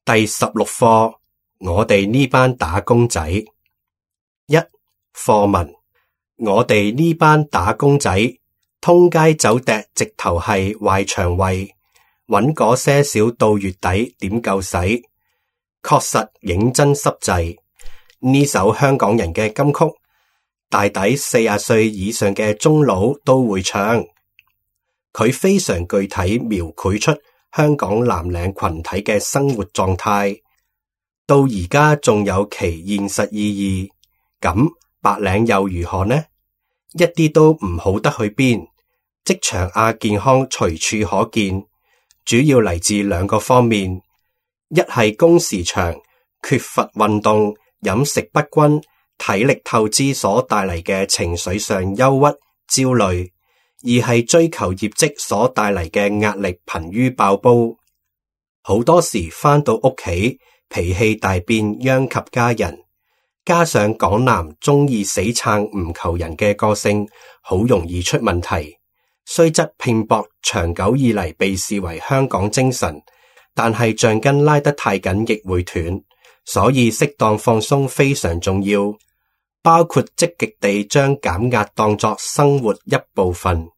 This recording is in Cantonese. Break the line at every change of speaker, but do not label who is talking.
第16課，我哋呢班打工仔。一、課文，我哋呢班打工仔，通街走趯直頭係壞腸胃，搵嗰些少到月底點夠使，確實認真濕滯。呢首香港人嘅金曲，大抵40歲以上嘅中老都會唱。佢非常具體描繪出香港藍領群體嘅生活狀態，到而家仲有其現實意義。咁白領又如何呢？一啲都唔好得去邊，職場亞健康隨處可見，主要嚟自兩個方面：一係工時長、缺乏運動、飲食不均、體力透支所帶嚟嘅情緒上憂鬱、焦慮；二係追求業績所帶嚟嘅壓力瀕於爆煲。好多時返到屋企，脾氣大變，殃及家人。加上港男鍾意死撐唔求人嘅個性，好容易出問題。雖則拼搏長久以嚟被視為香港精神，但係橡筋拉得太緊亦會斷，所以適當放鬆非常重要，包括積極地將減壓當作生活一部分。